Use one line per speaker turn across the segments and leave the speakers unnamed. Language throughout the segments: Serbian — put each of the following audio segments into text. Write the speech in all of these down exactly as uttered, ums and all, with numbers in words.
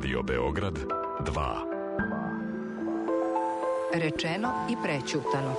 Radio Beograd dva.
Rečeno i prećutano.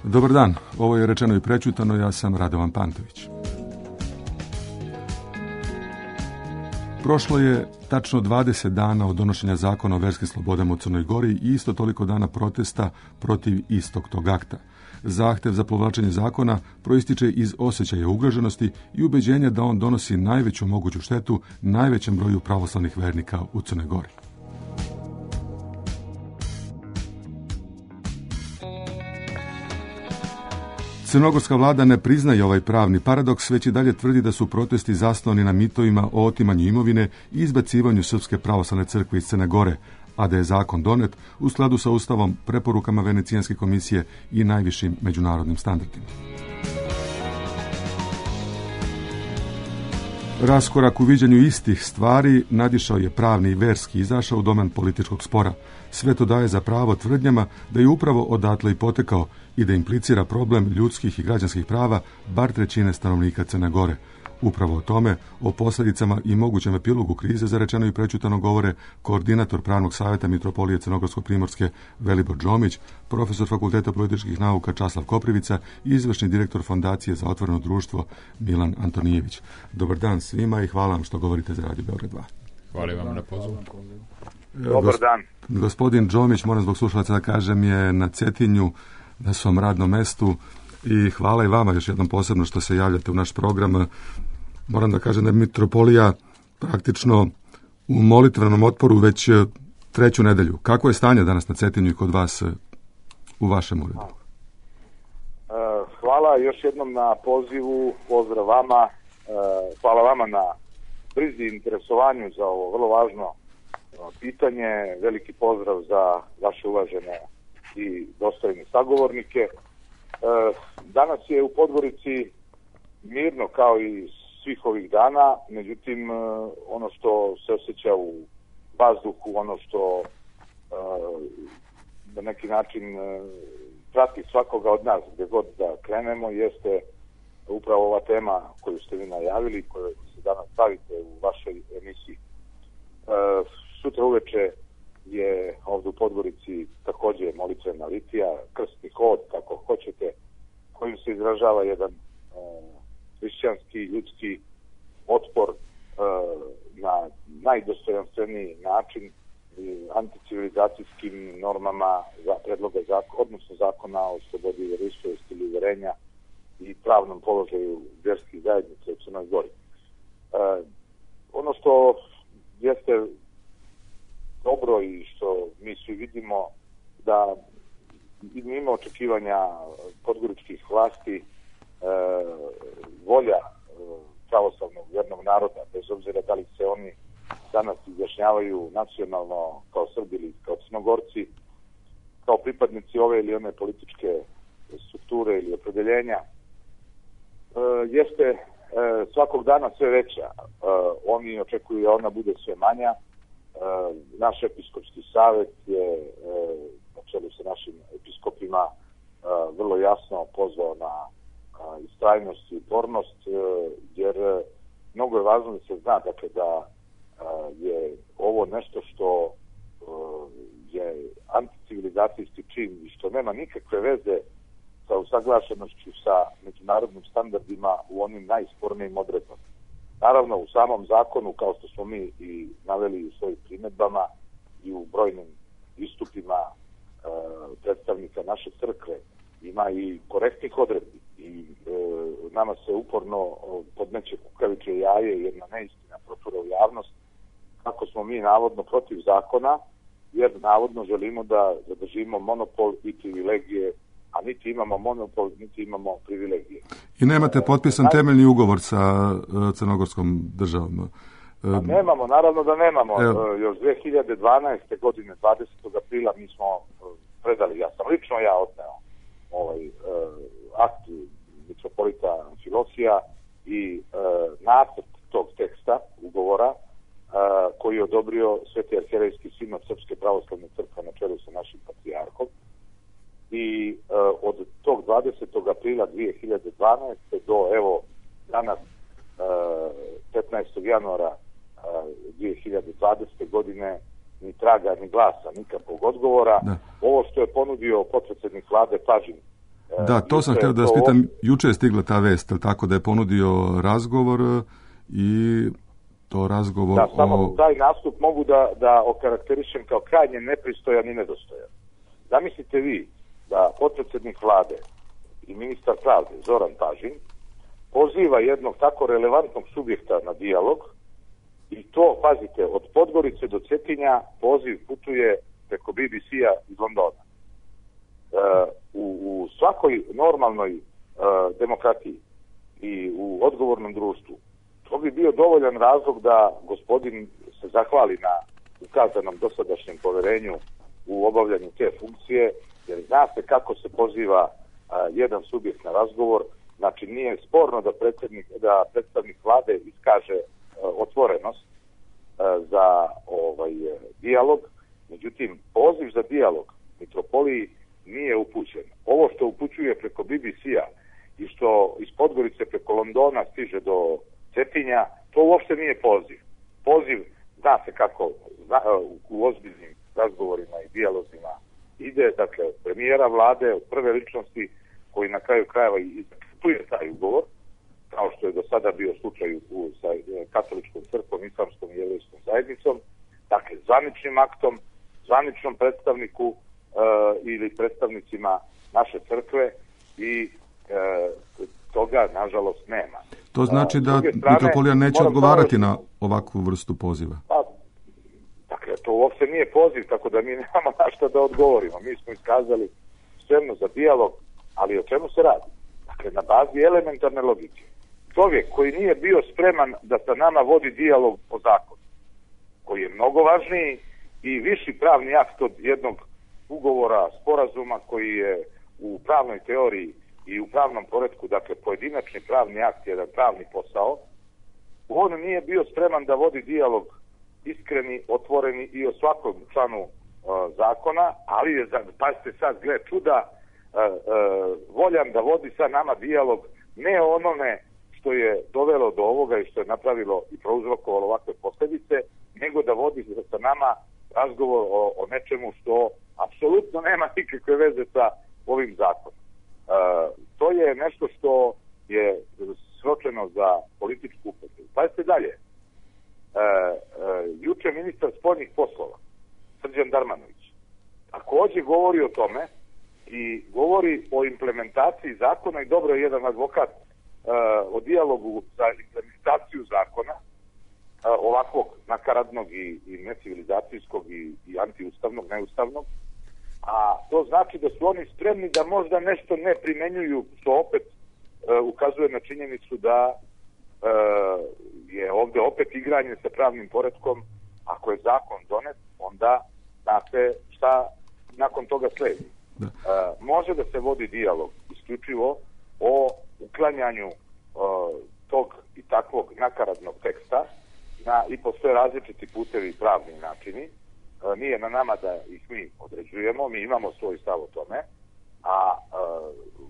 Dobar dan, ovo je Rečeno i prećutano, ja sam Radovan Pantović. Prošlo je tačno dvadeset dana od donošenja zakona o verskim slobodama u Crnoj Gori i isto toliko dana protesta protiv istog tog akta. Zahtev za povlačenje zakona proističe iz osjećaja ugroženosti i ubeđenja da on donosi najveću moguću štetu najvećem broju pravoslavnih vernika u Crnoj Gori. Crnogorska vlada ne priznaje ovaj pravni paradoks, već i dalje tvrdi da su protesti zasnovani na mitovima o otimanju imovine i izbacivanju Srpske pravoslavne crkve iz Crne Gore, a da je zakon donet u skladu sa Ustavom, preporukama Venecijanske komisije i najvišim međunarodnim standardima. Raskorak u viđenju istih stvari nadišao je pravni i verski, izašao u domen političkog spora. Sve to daje za pravo tvrdnjama da je upravo odatle i potekao i da implicira problem ljudskih i građanskih prava bar trećine stanovnika Crne Gore. Upravo o tome, o posljedicama i mogućem epilogu krize za Rečeno i prećutano govore koordinator Pravnog savjeta Mitropolije Crnogorsko-Primorske Velibor Džomić, profesor Fakulteta političkih nauka Časlav Koprivica i izvršni direktor Fondacije za otvoreno društvo Milan Antonijević. Dobar dan svima i hvala vam što govorite za Radio Beograd dva.
Hvala vam na pozivu.
Dobar dan.
Gospodin Džomić, moram zbog slušalaca da kažem, je na Cetinju na svom radnom mestu i hvala i vama još jednom posebno što se javljate u naš program. Moram da kažem da je Mitropolija praktično u molitvenom otporu već treću nedelju. Kako je stanje danas na Cetinju i kod vas u vašem uredu?
Hvala još jednom na pozivu, pozdrav vama, hvala vama na brizi i interesovanju za ovo vrlo važno pitanje, veliki pozdrav za vaše uvažene i dostojne sagovornike. Danas je u Podgorici mirno kao i svih ovih dana, međutim ono što se osjeća u vazduhu, ono što na neki način prati svakoga od nas gdje god da krenemo jeste upravo ova tema koju ste vi najavili, koju se danas stavite u vašoj emisiji. Sutra uveče je ovdje u Podgorici također molitvena litija, krstni hod, kako hoćete, kojim se izražava jedan hrišćanski, ljudski otpor na najdostojanstveniji način anticivilizacijskim normama za predloga zakona, odnosno zakona o slobodi vjeroispovesti ili uverenja i pravnom položaju vjerskih zajednica u Crnoj Gori. Ono što jeste dobro i što mi svi vidimo da mimo očekivanja podgoričkih vlasti e, volja e, pravoslavnog vjernog naroda, bez obzira da li se oni danas izjašnjavaju nacionalno kao Srbi ili kao Crnogorci, e, kao pripadnici ove ili one političke strukture ili opredeljenja e, jeste e, svakog dana sve veća. E, oni očekuju da ona bude sve manja. E, naš episkopski savjet je e, na čelu sa našim episkopima e, vrlo jasno pozvao na e, istrajnost i upornost, e, jer e, mnogo je važno da se zna dakle, da e, je ovo nešto što e, je anticivilizacijski čin i što nema nikakve veze sa usaglašenošću sa međunarodnim standardima u onim najspornijim odredbama. Naravno, u samom zakonu, kao što smo mi i naveli u svojim primjedbama i u brojnim istupima e, predstavnika naše crkve, ima i korektnih odredbi i e, nama se uporno podmeće kukavičje jaje, jedna neistina protura u javnost, kako smo mi navodno protiv zakona, jer navodno želimo da zadržimo monopol i privilegije, a niti imamo monopol, niti imamo privilegije.
I nemate potpisan e, temeljni ugovor sa uh, crnogorskom državom?
Uh, nemamo, naravno da nemamo. Uh, još dve hiljade dvanaeste. godine, dvadesetog aprila, mi smo uh, predali, ja sam lično ja odneo ovaj uh, akt mitropolita Amfilohija i uh, nacrt tog teksta ugovora Uh, koji je odobrio Sveti arhijerejski sinod Srpske pravoslavne crkve na čelu sa našim patrijarhom. I uh, od tog dvadesetog aprila dve hiljade dvanaeste. do evo danas uh, petnaestog januara uh, dve hiljade dvadesete. godine ni traga, ni glasa, nikakvog odgovora. Da. Ovo što je ponudio potpredsjednik vlade Pažin. Uh,
da, to sam htio da vas pitam, juče je stigla ta vest, tako da je ponudio razgovor i to razgovor
da, samo
o...
taj nastup mogu da, da okarakterišem kao krajnje nepristojan i nedostojan. Zamislite vi da potpredsjednik vlade i ministar pravde Zoran Pažin poziva jednog tako relevantnog subjekta na dijalog i to, pazite, od Podgorice do Cetinja poziv putuje preko B B C-a iz Londona. E, u, u svakoj normalnoj e, demokratiji i u odgovornom društvu to bi bio dovoljan razlog da gospodin se zahvali na ukazanom dosadašnjem poverenju u obavljanju te funkcije, jer zna se kako se poziva a, jedan subjekt na razgovor. Znači nije sporno da predsednik, da predstavnik vlade iskaže a, otvorenost a, za ovaj dijalog, međutim poziv za dijalog mitropoliji nije upućen. Ovo što upućuje preko B B C-a i što iz Podgorice preko Londona stiže do Cetinja, to uopšte nije poziv. Poziv, zna se kako zna, u ozbiljnim razgovorima i dijalozima ide, dakle, premijera vlade, od prve ličnosti koji na kraju krajeva i zaključuje taj ugovor, kao što je do sada bio slučaj u, sa katoličkom crkvom, islamskom i jevrejskom zajednicom, dakle, zvaničnim aktom, zvaničnom predstavniku uh, ili predstavnicima naše crkve i uh, toga, nažalost, nema.
To znači da mitropolija neće odgovarati samo na ovakvu vrstu poziva?
Pa, dakle, to uopšte nije poziv, tako da mi nemamo na šta da odgovorimo. Mi smo iskazali spremnost za dijalog, ali o čemu se radi? Dakle, na bazi elementarne logike. Čovjek koji nije bio spreman da sa nama vodi dijalog o zakonu, koji je mnogo važniji i viši pravni akt od jednog ugovora, sporazuma koji je u pravnoj teoriji i u pravnom poretku, dakle, pojedinačni pravni akt je jedan pravni posao, on nije bio spreman da vodi dijalog iskreni, otvoreni i o svakom članu uh, zakona, ali je, pazite sad, gle čuda, uh, uh, voljan da vodi sa nama dijalog ne o onome što je dovelo do ovoga i što je napravilo i prouzrokovalo ovakve posljedice, nego da vodi sa nama razgovor o, o nečemu što apsolutno nema nikakve veze sa ovim zakonom. Uh, to je nešto što je sročeno za političku upotrebu. Pazite dalje. Uh, uh, juče ministar spoljnih poslova Srđan Darmanović također govori o tome i govori o implementaciji zakona i dobro je jedan advokat uh, o dijalogu za implementaciju zakona uh, ovakvog nakaradnog i, i necivilizacijskog i, i antiustavnog, neustavnog. A to znači da su oni spremni da možda nešto ne primenjuju, što opet e, ukazuje na činjenicu da e, je ovdje opet igranje sa pravnim poretkom. Ako je zakon donet, onda znate šta nakon toga sledi.
Da.
Uh, može da se vodi dijalog isključivo o uklanjanju uh, tog i takvog nakaradnog teksta na i po sve različiti putevi i pravni načini. Uh, nije na nama da ih mi određujemo, mi imamo svoj stav o tome, a uh,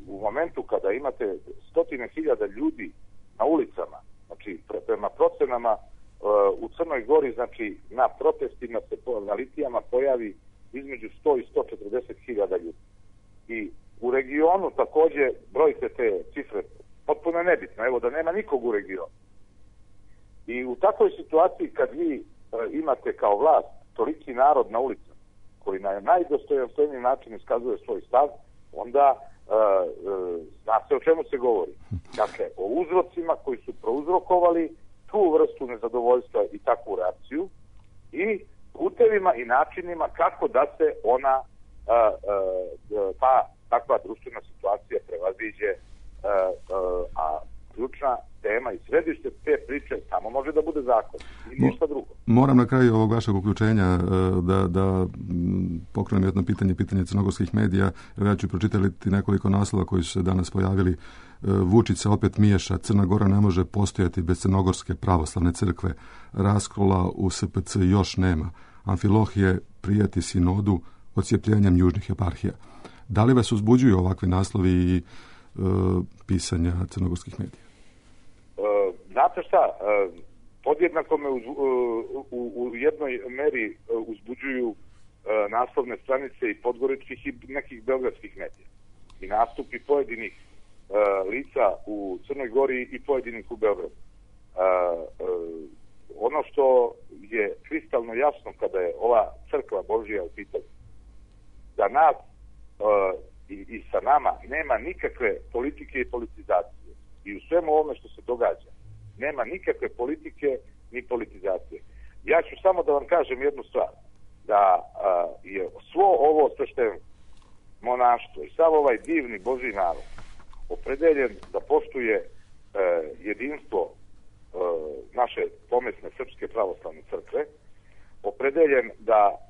u momentu kada imate stotine hiljada ljudi na ulicama, znači pre, prema procenama uh, u Crnoj Gori, znači na protestima se po, na litijama pojavi između sto i sto četrdeset hiljada ljudi. I u regionu također brojite te cifre potpuno nebitno, evo da nema nikog u regionu. I u takvoj situaciji kad vi e, imate kao vlast toliki narod na ulicama koji na najdostojanstveniji način iskazuje svoj stav, onda e, e, zna se o čemu se govori. Dakle, o uzrocima koji su prouzrokovali tu vrstu nezadovoljstva i takvu reakciju i putevima i načinima kako da se ona Uh, uh, ta takva društvena situacija prevaziđe, uh, uh, a ključna tema i središte te priče samo može da bude zakon i ništa drugo.
Moram na kraju ovog vašeg uključenja da, da pokrenem jedno pitanje, pitanje crnogorskih medija. Ja ću pročitati nekoliko naslova koji su se danas pojavili. Vučić se opet miješa, Crna Gora ne može postojati bez Crnogorske pravoslavne crkve, raskola u S P C još nema, Amfilohije prijeti sinodu odcijepljenjem južnih eparhija. Da li vas uzbuđuju ovakvi naslovi i e, pisanja crnogorskih medija?
E, znate šta, e, podjednako me uz, u, u jednoj meri uzbuđuju e, naslovne stranice i podgoričkih i nekih beogradskih medija. I nastupi pojedinih e, lica u Crnoj Gori i pojedinih u Beogradu. E, e, ono što je kristalno jasno kada je ova crkva Božija u pitanju, da nas uh, i, i sa nama nema nikakve politike i politizacije. I u svemu ovome što se događa nema nikakve politike ni politizacije. Ja ću samo da vam kažem jednu stvar, da uh, je svo ovo sveštenstvo, monaštvo i sav ovaj divni Božji narod opredeljen da poštuje uh, jedinstvo uh, naše pomesne Srpske pravoslavne crkve, opredeljen da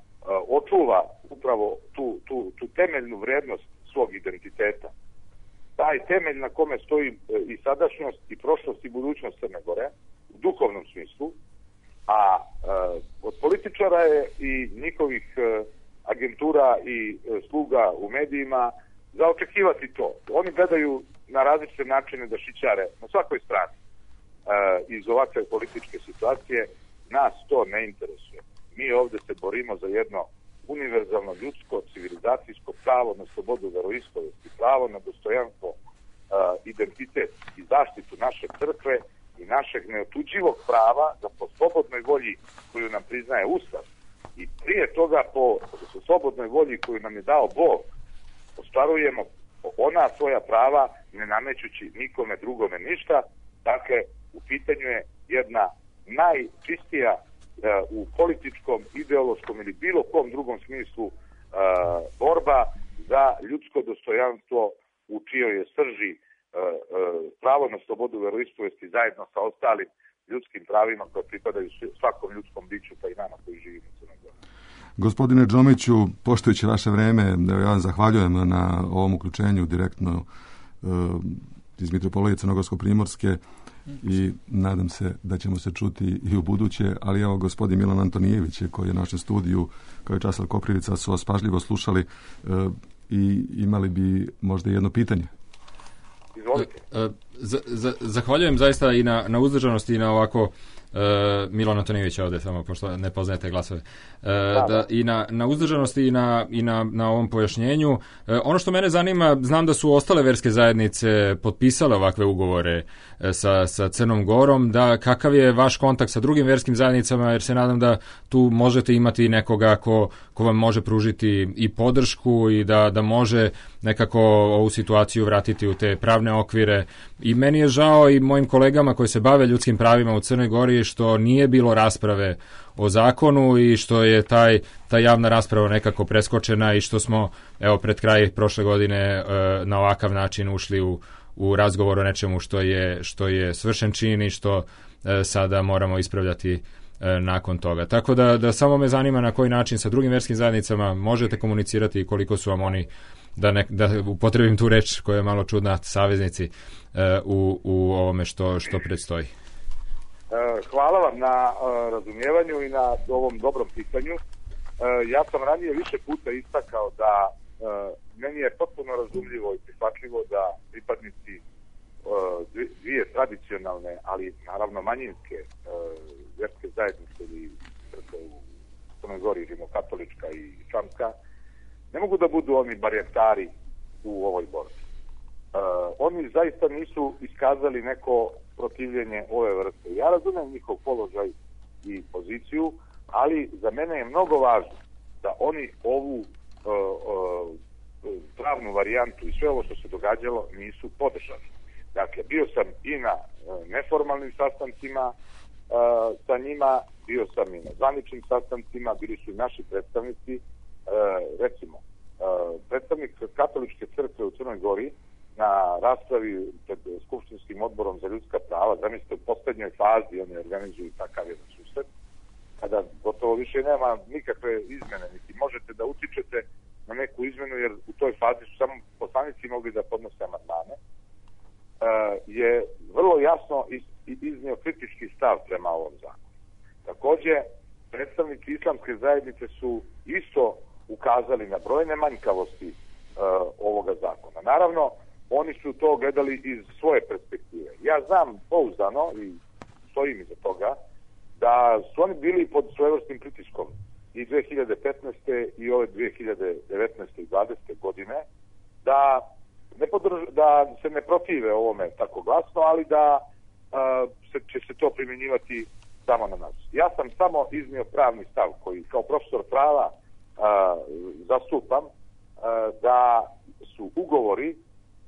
očuva upravo tu, tu, tu temeljnu vrednost svog identiteta. Taj temelj na kome stoji i sadašnjost i prošlost i budućnost Crne Gore u duhovnom smislu, a e, od političara je i njihovih e, agentura i e, sluga u medijima za očekivati to. Oni gledaju na različite načine da šićare na svakoj strani e, iz ovakve političke situacije. Nas to ne interesuje. Mi ovdje se borimo za jedno univerzalno ljudsko, civilizacijsko pravo na slobodu veroispovesti, pravo na dostojanstvo, uh, identitet i zaštitu naše crkve i našeg neotuđivog prava da po slobodnoj volji koju nam priznaje Ustav i prije toga po slobodnoj volji koju nam je dao Bog ostvarujemo ona svoja prava ne namećući nikome drugome ništa. Dakle, u pitanju je jedna najčistija u političkom, ideološkom ili bilo kom drugom smislu uh, borba za ljudsko dostojanstvo u čijoj je srži uh, uh, pravo na slobodu veroispovesti zajedno sa ostalim ljudskim pravima koje pripadaju svakom ljudskom biću pa i nama koji živimo u Crnoj Gori.
Gospodine Džomiću, poštujući vaše vreme, ja vam zahvaljujem na ovom uključenju direktno uh, iz Mitropolije Crnogorsko-Primorske i nadam se da ćemo se čuti i u buduće, ali evo gospodin Milan Antonijević koji je u našem studiju kao i Časlav Koprivica su vas pažljivo slušali e, i imali bi možda jedno pitanje.
Izvolite.
Z- z- zahvaljujem zaista i na, na uzdržanosti i na ovako Uh, Milan Antonijević ovdje samo pošto ne poznajete glasove uh, da, da, i na, na uzdržanosti i, na, i na, na ovom pojašnjenju. Uh, ono što mene zanima, znam da su ostale verske zajednice potpisale ovakve ugovore uh, sa, sa Crnom Gorom, da kakav je vaš kontakt sa drugim verskim zajednicama, jer se nadam da tu možete imati nekoga ko, ko vam može pružiti i podršku i da, da može nekako ovu situaciju vratiti u te pravne okvire. I meni je žao i mojim kolegama koji se bave ljudskim pravima u Crnoj Gori što nije bilo rasprave o zakonu i što je taj, ta javna rasprava nekako preskočena i što smo evo pred kraj prošle godine e, na ovakav način ušli u, u razgovor o nečemu što je, što je svršen čin i što e, sada moramo ispravljati e, nakon toga. Tako da, da samo me zanima na koji način sa drugim verskim zajednicama možete komunicirati i koliko su vam oni, da, ne, da upotrebim tu reč koja je malo čudna, saveznici e, u, u ovome što, što predstoji.
Hvala vam na razumijevanju i na ovom dobrom pitanju. Ja sam ranije više puta istakao da meni je potpuno razumljivo i prihvatljivo da pripadnici dvije tradicionalne, ali naravno manjinske vjerske zajednice ili u Crnoj Gori, rimokatolička i islamska, ne mogu da budu oni barijatari u ovoj borbi. Oni zaista nisu iskazali neko protivljenje ove vrste. Ja razumijem njihov položaj i poziciju, ali za mene je mnogo važno da oni ovu uh, uh, pravnu varijantu i sve ovo što se događalo nisu podržali. Dakle, bio sam i na uh, neformalnim sastancima uh, sa njima, bio sam i na zvaničnim sastancima, bili su i naši predstavnici, uh, recimo, uh, predstavnik Katoličke crkve u Crnoj Gori na raspravi pred Skupštinskim odborom za ljudska prava, zamislite, u posljednjoj fazi oni organizuju takav jedan susret, kada gotovo više nema nikakve izmene, niti možete da utičete na neku izmenu, jer u toj fazi su samo poslanici mogli da podnose amandmane, je vrlo jasno iznio kritički stav prema ovom zakonu. Također, predstavnici islamske zajednice su isto ukazali na brojne manjkavosti ovoga zakona. Naravno, oni su to gledali iz svoje perspektive. Ja znam pouzdano i stojim iza toga da su oni bili pod svojevrsnim pritiskom i dve hiljade petnaeste i ove dve hiljade devetnaeste i dvadesete godine da, ne podrž, da se ne protive ovome tako glasno, ali da a, se, će se to primjenjivati samo na nas. Ja sam samo iznio pravni stav koji kao profesor prava a, zastupam a, da su ugovori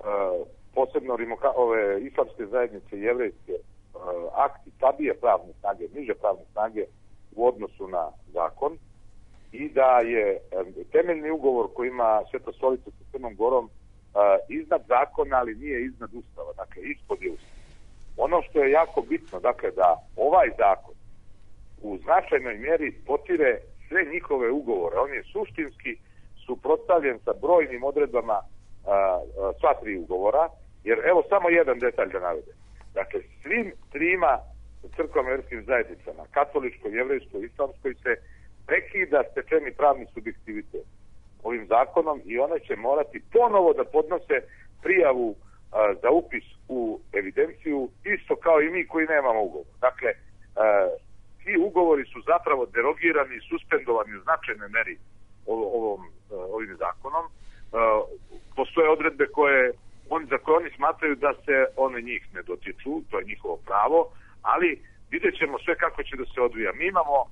Uh, posebno rimoka, ove islamske zajednice i jevrejske uh, akti slabije pravne snage, niže pravne snage u odnosu na zakon i da je um, temeljni ugovor koji ima Sveta Stolica sa Crnom Gorom uh, iznad zakona, ali nije iznad Ustava, dakle ispod je Ustava. Ono što je jako bitno, dakle da ovaj zakon u značajnoj mjeri potire sve njihove ugovore. On je suštinski suprotstavljen sa brojnim odredbama A, a, sva tri ugovora, jer evo samo jedan detalj da navedem. Dakle, svim trima crkvama i vjerskim zajednicama, katoličkoj, jevrejskoj, islamskoj, se prekida stečeni pravni subjektivitet ovim zakonom i one će morati ponovo da podnose prijavu a, za upis u evidenciju, isto kao i mi koji nemamo ugovor. Dakle, a, ti ugovori su zapravo derogirani i suspendovani u značajnoj meri ovom, ovim zakonom. Uh, postoje odredbe koje on, za koje oni smatraju da se one njih ne dotiču, to je njihovo pravo, ali vidjet ćemo sve kako će da se odvija. Mi imamo, uh,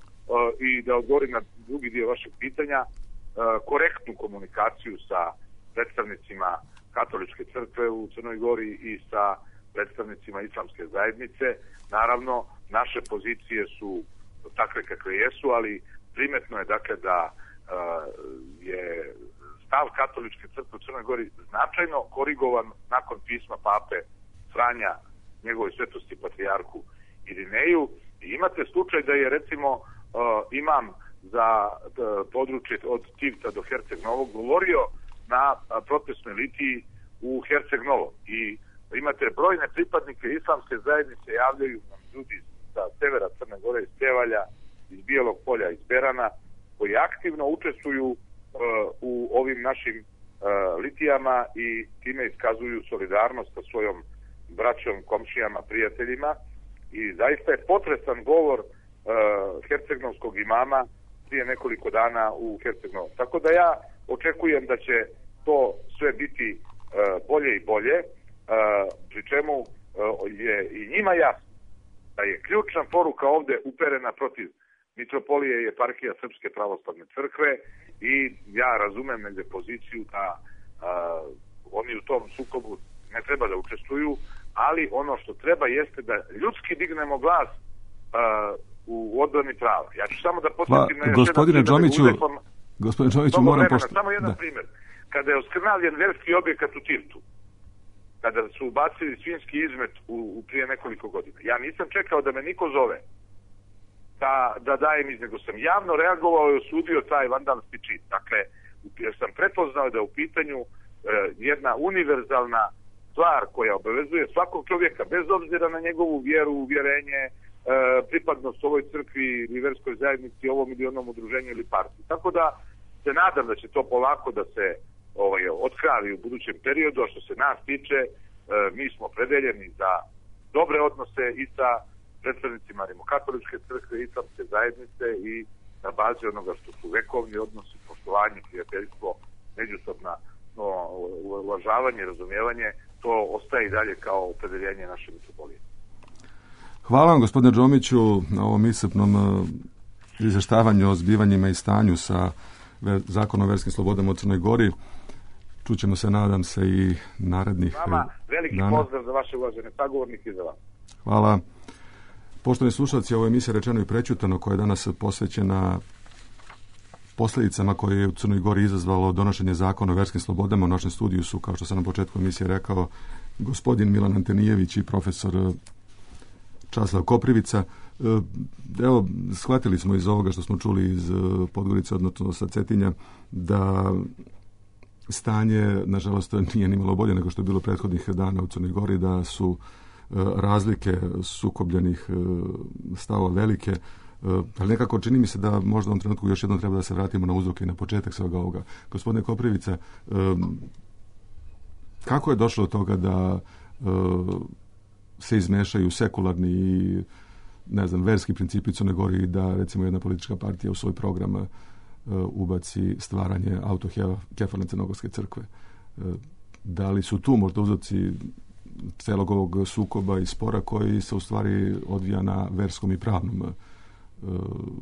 i da odgovorim na drugi dio vašeg pitanja, uh, korektnu komunikaciju sa predstavnicima Katoličke crkve u Crnoj Gori i sa predstavnicima islamske zajednice. Naravno, naše pozicije su takve kakve jesu, ali primetno je dakle da uh, je stav Katoličke crkve u Crnoj Gori značajno korigovan nakon pisma pape Franja njegovoj svetosti patrijarhu Irineju. I imate slučaj da je recimo uh, imam za uh, područje od Tivta do Herceg Novog govorio na uh, protestnoj litiji u Herceg Novom. I imate brojne pripadnike islamske zajednice, javljaju nam ljudi sa severa Crne Gore, iz Cevalja, iz Bijelog Polja, iz Berana, koji aktivno učestvuju u ovim našim uh, litijama i time iskazuju solidarnost sa svojom braćom, komšijama, prijateljima i zaista je potresan govor uh, hercegnovskog imama prije nekoliko dana u Herceg-Novom. Tako da ja očekujem da će to sve biti uh, bolje i bolje, uh, pri čemu uh, je i njima jasno da je ključna poruka ovdje uperena protiv mitropolije i eparhija Srpske pravoslavne crkve i ja razumem negdje poziciju da a, oni u tom sukobu ne treba da učestvuju, ali ono što treba jeste da ljudski dignemo glas a, u odbrani prava. Ja ću samo da podsjetim na
gospodine Džomiću, gospodine Džomiću, moram pošto...
Samo jedan da. primjer. Kada je oskrnavljen verski objekat u Tivtu, kada su ubacili svinjski izmet u, u prije nekoliko godina, ja nisam čekao da me niko zove, da, da dajem iz, nego sam javno reagovao i osudio taj vandalski čin. Dakle, jer sam prepoznao da je u pitanju e, jedna univerzalna stvar koja obavezuje svakog čovjeka, bez obzira na njegovu vjeru, uvjerenje, e, pripadnost ovoj crkvi ili verskoj zajednici, ovom ili onom udruženju ili partiji. Tako da se nadam da će to polako da se ovaj, otkravi u budućem periodu, a što se nas tiče, e, mi smo predeljeni za dobre odnose i sa predstavnicima Rimokatoličke crkve, islamske zajednice i na bazi onoga što su vekovni odnosi, poštovanje, prijateljstvo, međusobna no, uvažavanje, razumijevanje, to ostaje i dalje kao opredeljenje naše mitropolije.
Hvala vam, gospodine Džomiću, na ovom iscrpnom izvještavanju o zbivanjima i stanju sa Zakonom o verskim slobodama u Crnoj Gori. Čućemo se, nadam se, i narednih
Vama veliki
dana.
Pozdrav za vaše uvažene sagovornike i za vas.
Hvala. Poštovani slušalci, ovo je emisija Rečeno i prećutano, koja je danas posvećena posljedicama koje je u Crnoj Gori izazvalo donošenje Zakona o verskim slobodama. U našem studiju su, kao što sam na početku emisije rekao, gospodin Milan Antenijević i profesor Časlav Koprivica. Evo, shvatili smo iz ovoga što smo čuli iz Podgorice, odnosno sa Cetinja, da stanje, nažalost, nije nimalo bolje nego što je bilo prethodnih dana u Crnoj Gori, da su razlike sukobljenih stavova velike, ali nekako čini mi se da možda u ovom trenutku još jednom treba da se vratimo na uzroke i na početak svega ovoga. Gospodine Koprivica, kako je došlo do toga da se izmešaju sekularni i, ne znam, verski principi u Crnoj Gori i da, recimo, jedna politička partija u svoj program ubaci stvaranje autokefalne crnogorske crkve? Da li su tu možda uzroci celog ovog sukoba i spora koji se u stvari odvija na verskom i pravnom e,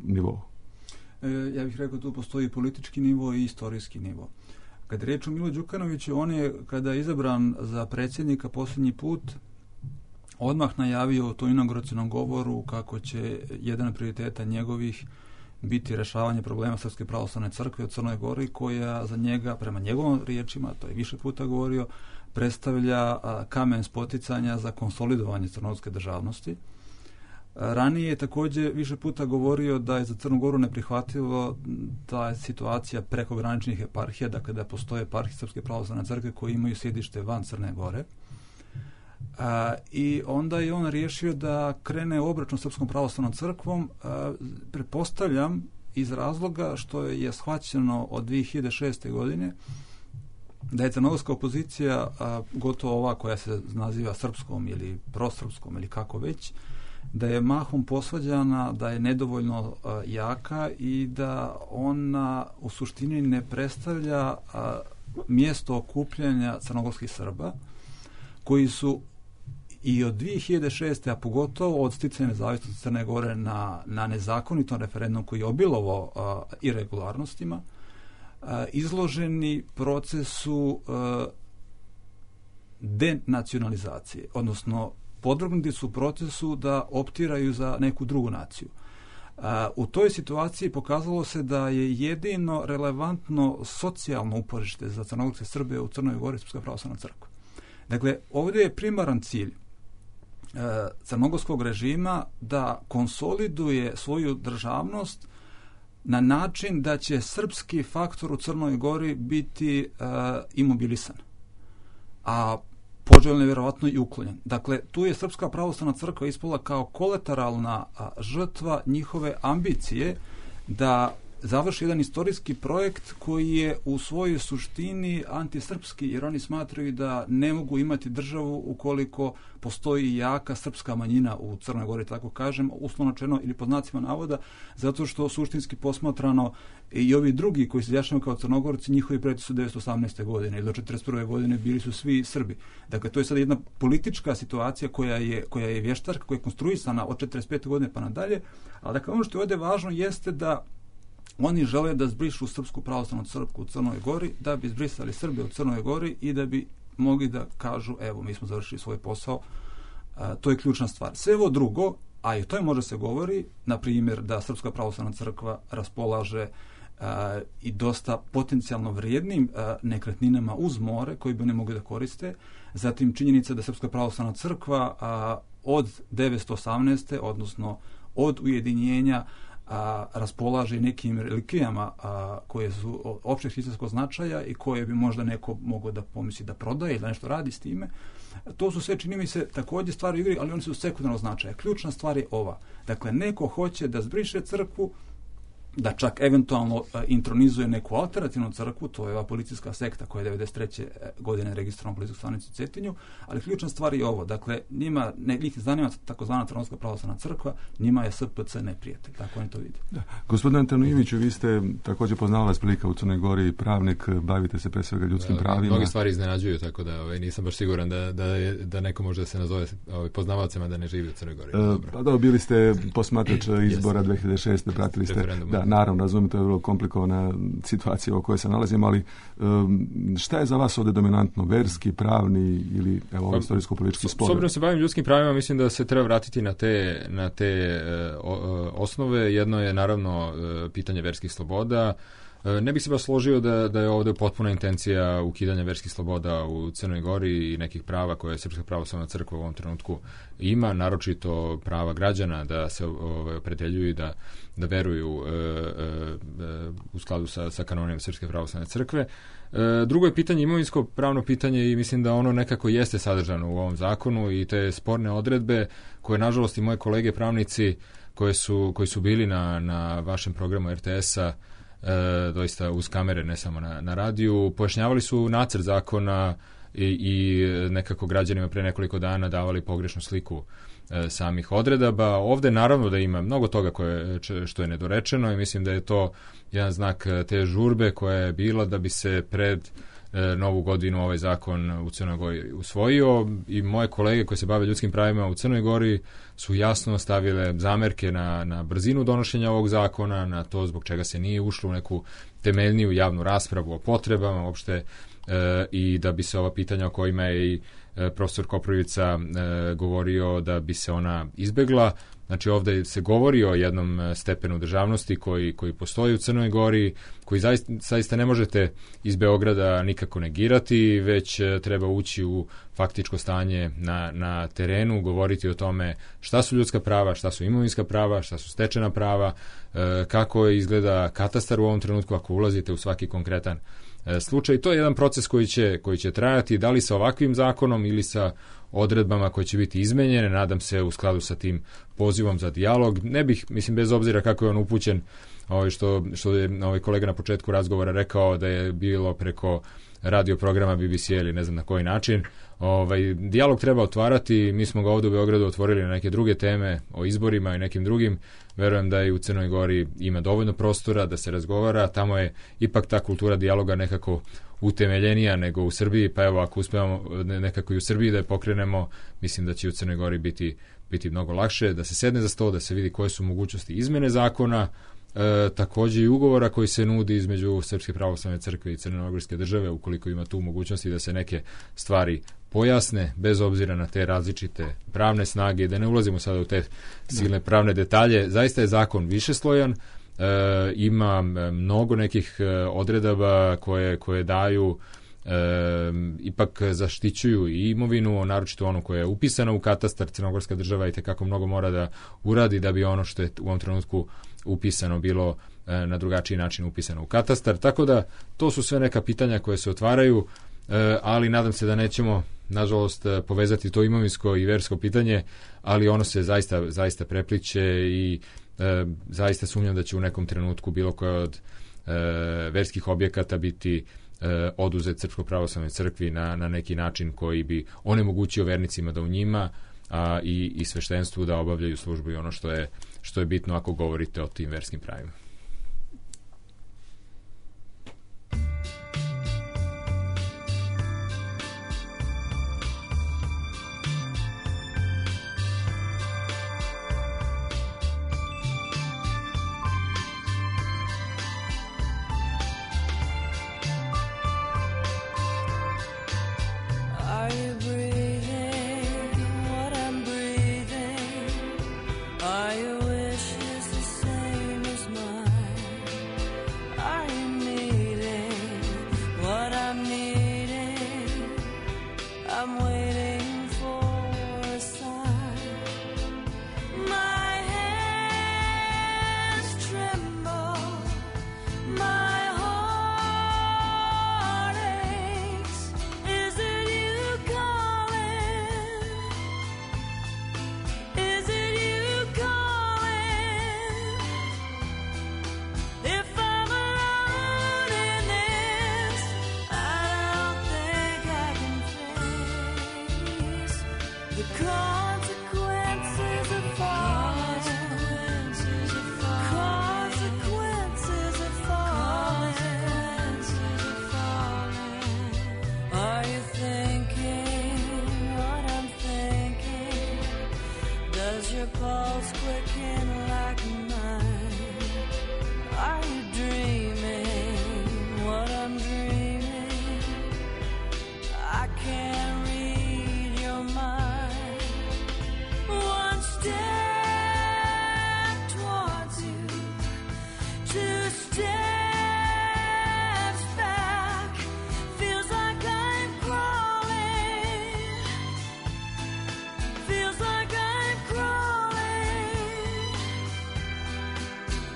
nivou?
E, ja bih rekao, tu postoji politički nivo i istorijski nivo. Kad je reč o Milo Đukanoviću, on je, kada je izabran za predsjednika posljednji put, odmah najavio u tom inauguracionom govoru kako će jedan od prioriteta njegovih biti rešavanje problema Srpske pravoslavne crkve u Crnoj Gori, koja za njega, prema njegovom riječima, to je više puta govorio, predstavlja kamen spoticanja za konsolidovanje crnogorske državnosti. Ranije je također više puta govorio da je za Crnu Goru neprihvatljivo ta je situacija prekograničnih eparhija, dakle da postoje eparhije Srpske pravoslavne crkve koji imaju sjedište van Crne Gore. A, I onda je on riješio da krene obračun Srpskom pravoslavnom crkvom, a, pretpostavljam iz razloga što je shvaćeno od dvije hiljade šeste. godine da je crnogorska opozicija, a, gotovo ova koja se naziva srpskom ili prosrpskom ili kako već, da je mahom posvađana, da je nedovoljno a, jaka i da ona u suštini ne predstavlja a, mjesto okupljanja crnogorskih Srba, koji su i od dvije hiljade šeste. a pogotovo od sticanja nezavisnosti Crne Gore na, na nezakonitom referendum koji je obilovo a, irregularnostima, a, izloženi procesu a, denacionalizacije, odnosno podvrgnuti su procesu da optiraju za neku drugu naciju. A, u toj situaciji pokazalo se da je jedino relevantno socijalno uporište za crnogorske Srbe u Crnoj Gori Srpska pravoslavna crkva. Dakle, ovdje je primaran cilj e, crnogorskog režima da konsoliduje svoju državnost na način da će srpski faktor u Crnoj Gori biti e, imobilisan, a poželjno je vjerovatno i uklonjen. Dakle, tu je Srpska pravoslavna crkva ispala kao kolateralna a, žrtva njihove ambicije da završi jedan istorijski projekt koji je u svojoj suštini antisrpski, jer oni smatraju da ne mogu imati državu ukoliko postoji jaka srpska manjina u Crnoj Gori, tako kažem, uslovno rečeno ili pod znacima navoda, zato što suštinski posmatrano i ovi drugi koji se izjašnjavaju kao Crnogorci, njihovi preci su devetsto osamnaeste. godine ili do četrdeset prve. godine bili su svi Srbi. Dakle, to je sad jedna politička situacija koja je, koja je vještarka, koja je konstruisana od četrdeset pete. godine pa nadalje, ali dakle, ono što je ovdje važno jeste da oni žele da zbrišu Srpsku pravoslavnu crkvu u Crnoj Gori, da bi zbrisali Srbe u Crnoj Gori i da bi mogli da kažu, evo, mi smo završili svoj posao. A, to je ključna stvar. Sve ovo drugo, a i o tome može se govori, na primjer da Srpska pravoslavna crkva raspolaže a, i dosta potencijalno vrijednim a, nekretninama uz more koji bi oni mogli da koriste. Zatim činjenica da Srpska pravoslavna crkva a, od devetsto osamnaeste. odnosno od ujedinjenja a, raspolaže nekim relikvijama a, koje su općeg hrišćanskog značaja i koje bi možda neko mogao da pomisli da prodaje ili da nešto radi s time. To su sve, čini mi se, također stvari u igri, ali oni su sekundarnog značaja. Ključna stvar je ova. Dakle, neko hoće da zbriše crkvu, da čak eventualno intronizuje neku alternativnu crkvu, to je ova policijska sekta koja je devedeset treće godine registrovana u policijskoj stanici u Cetinju, ali ključna stvar je ovo, dakle, njima ne njih zanima takozvana Crnogorska pravoslavna crkva, njima je S P C neprijatelj, tako oni to vide.
Da. Gospodine Antonijeviću, vi ste također poznavalac prilika u Crnoj Gori, pravnik, bavite se pre svega ljudskim da, pravima.
Mnogi stvari iznenađuju, tako da ovaj, nisam baš siguran da, da, je, da neko može da se nazove ovaj, poznavalcima da ne živi u Crnoj Gori.
E, pa da, bili ste posmatrač izbora dve hiljade šeste. pratili ste, da, naravno, razumijem, to je vrlo komplikovana situacija u kojoj se nalazimo, ali um, šta je za vas ovdje dominantno, verski, pravni ili evo, istorijsko-politički spor? S obzirom
se bavim ljudskim pravima, mislim da se treba vratiti na te, na te uh, osnove. Jedno je naravno uh, pitanje verskih sloboda. Uh, ne bih se baš složio da, da je ovdje potpuna intencija ukidanja verskih sloboda u Crnoj Gori i nekih prava koje Srpska pravoslavna crkva u ovom trenutku ima, naročito prava građana da se ovaj, opredeljuju i da, da veruju uh, uh, u skladu sa, sa kanonima Srpske pravoslavne crkve. Uh, drugo je pitanje imovinsko pravno pitanje i mislim da ono nekako jeste sadržano u ovom zakonu i te sporne odredbe koje nažalost i moje kolege pravnici koje su, koji su bili na, na vašem programu R T S-a E, doista uz kamere, ne samo na, na radiju, pojašnjavali su nacrt zakona i, i nekako građanima pre nekoliko dana davali pogrešnu sliku e, samih odredaba. Ovde naravno da ima mnogo toga koje, što je nedorečeno i mislim da je to jedan znak te žurbe koja je bila da bi se pred e, novu godinu ovaj zakon u Crnoj Gori usvojio i moje kolege koje se bave ljudskim pravima u Crnoj Gori su jasno stavile zamerke na, na brzinu donošenja ovog zakona, na to zbog čega se nije ušlo u neku temeljniju javnu raspravu o potrebama uopšte e, i da bi se ova pitanja o kojima je i e, profesor Koprivica e, govorio da bi se ona izbegla. Znači ovdje se govori o jednom stepenu državnosti koji, koji postoji u Crnoj Gori, koji zaista, zaista ne možete iz Beograda nikako negirati, već treba ući u faktičko stanje na, na terenu, govoriti o tome šta su ljudska prava, šta su imovinska prava, šta su stečena prava, e, kako izgleda katastar u ovom trenutku ako ulazite u svaki konkretan e, slučaj. To je jedan proces koji će, koji će trajati, da li sa ovakvim zakonom ili sa odredbama koje će biti izmenjene, nadam se u skladu sa tim pozivom za dijalog. Ne bih, mislim, bez obzira kako je on upućen, ovaj, što, što je ovaj kolega na početku razgovora rekao da je bilo preko radio programa B B C ili ne znam na koji način. Ovaj, dijalog treba otvarati, mi smo ga ovdje u Beogradu otvorili na neke druge teme o izborima i nekim drugim. Verujem da i u Crnoj Gori ima dovoljno prostora da se razgovara, tamo je ipak ta kultura dijaloga nekako utemeljenija nego u Srbiji, pa evo ako uspevamo nekako i u Srbiji da je pokrenemo, mislim da će u Crnoj Gori biti, biti mnogo lakše, da se sedne za sto, da se vidi koje su mogućnosti izmene zakona, e, također i ugovora koji se nudi između Srpske pravoslavne crkve i Crnogorske države, ukoliko ima tu mogućnosti da se neke stvari pojasne, bez obzira na te različite pravne snage, da ne ulazimo sada u te silne pravne detalje. Zaista je zakon višeslojan, e, ima mnogo nekih odredaba koje, koje daju e, ipak zaštićuju i imovinu, naročito onu koja je upisana u katastar. Crnogorska država i tekako mnogo mora da uradi da bi ono što je u ovom trenutku upisano bilo e, na drugačiji način upisano u katastar. Tako da to su sve neka pitanja koje se otvaraju, e, ali nadam se da nećemo nažalost povezati to imovinsko i versko pitanje, ali ono se zaista, zaista prepliče i e, zaista sumnjam da će u nekom trenutku bilo koja od e, verskih objekata biti e, oduzet Srpskoj pravoslavnoj crkvi na, na neki način koji bi onemogućio vernicima da u njima a, i, i sveštenstvu da obavljaju službu i ono što je, što je bitno ako govorite o tim verskim pravima.
Are your wishes the same as mine? Is your pulse quicking like mine? Are you dreaming what I'm dreaming? I can't read your mind. One step towards you, two steps back. Feels like I'm crawling. Feels like I'm crawling.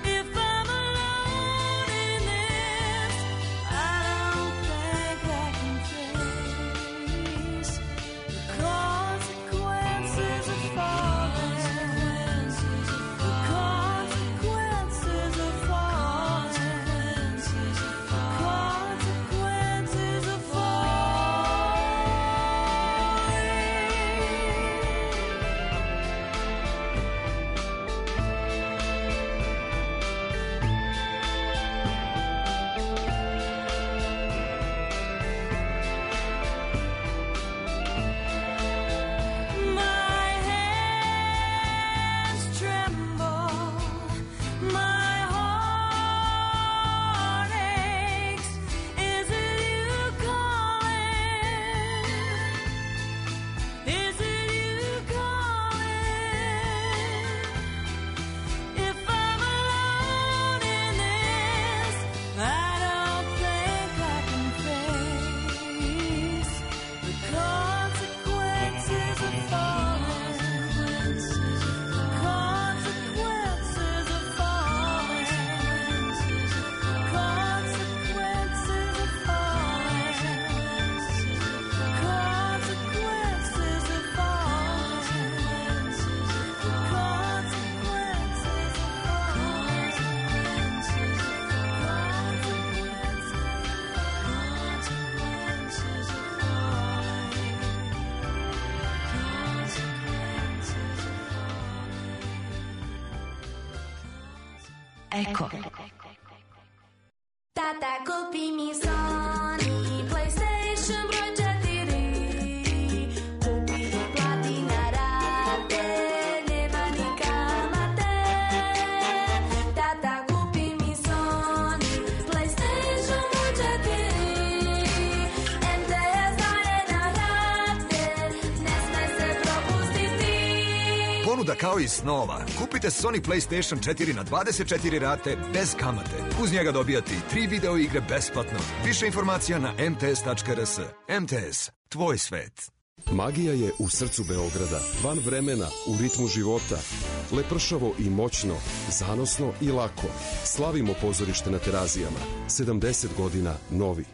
If I'm alone in this, I don't think I can face the consequences of falling. The consequences of falling. The consequences of falling. My hands tremble, my heart aches. Is it you calling? Is it you calling? If I'm alone in this, I don't think I can face the consequences of falling. The consequences of falling. Consequences of falling. Consequences of falling.
Eko.
Tata, kupi mi Sony PlayStation broj četiri. Kupi i plati na rate, nema ni kamate. Tata, kupi mi Sony PlayStation broj četiri. em te es daje na rate, ne sme se propustiti.
Ponuda kao i snova. Kupite Sony PlayStation četiri na dvadeset četiri rate bez kamate. Uz njega dobijate i tri video igre besplatno. Više informacija na em te es tačka er es. em te es, tvoj svet.
Magija je u srcu Beograda, van vremena, u ritmu života. Lepršavo i moćno, zanosno i lako. Slavimo pozorište na Terazijama. sedamdeset godina novi.